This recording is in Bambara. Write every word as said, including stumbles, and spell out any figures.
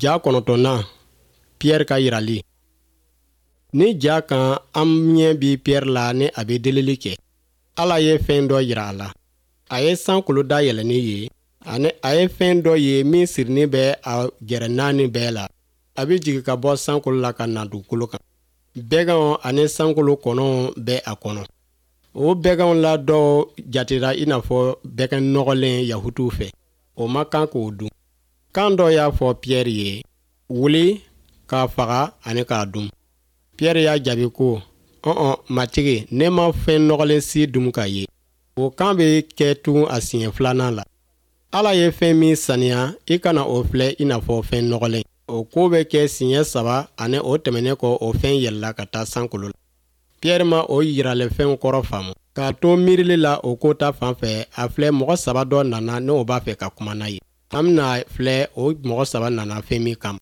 Ja kɔnɔntɔnnan, Piyɛri ka yirali. Ni ja kan, an ɲɛ bi Piyɛri la ni a bɛ delili kɛ. Ala ye fɛn dɔ yira a la. A ye sankolo dayɛlɛnnen ye, ani a ye fɛn dɔ ye min sirinin bɛ a gɛrɛ naani bɛɛ la. A bɛ jigin ka bɔ sankolo la ka na dugukolo kan. Bɛganw ani sankolo kɔnɔw bɛ a kɔnɔ. O bɛganw la dɔw jatera i n'a fɔ bɛgan nɔgɔlen Yahutuw fɛ. O man kan k'o dun. Kan dɔ y'a fɔ Piyɛri ye: "Wuli k'a faga ani k'a dun." Piyɛri y'a jaabi ko: "Ɔn, Matigi, ne ma fɛn nɔgɔlen si dun ka ye." O kan bɛ kɛ tugun a siɲɛ filanan la: "Ala ye fɛn min saniya, i kana o filɛ i n'a fɔ fɛn nɔgɔlen." O ko bɛ kɛ siɲɛ saba, ani o tɛmɛnen kɔ, o fɛn yɛlɛla ka taa sankolo la. Piyɛri ma o yiralifɛnw kɔrɔ faamu. K'a to miirili la o ko ta fan fɛ, a filɛ, mɔgɔ saba dɔ nana, n'o b'a fɛ ka kuma n'a ye. An bɛna filɛ o mɔgɔ saba nana fɛn min kama.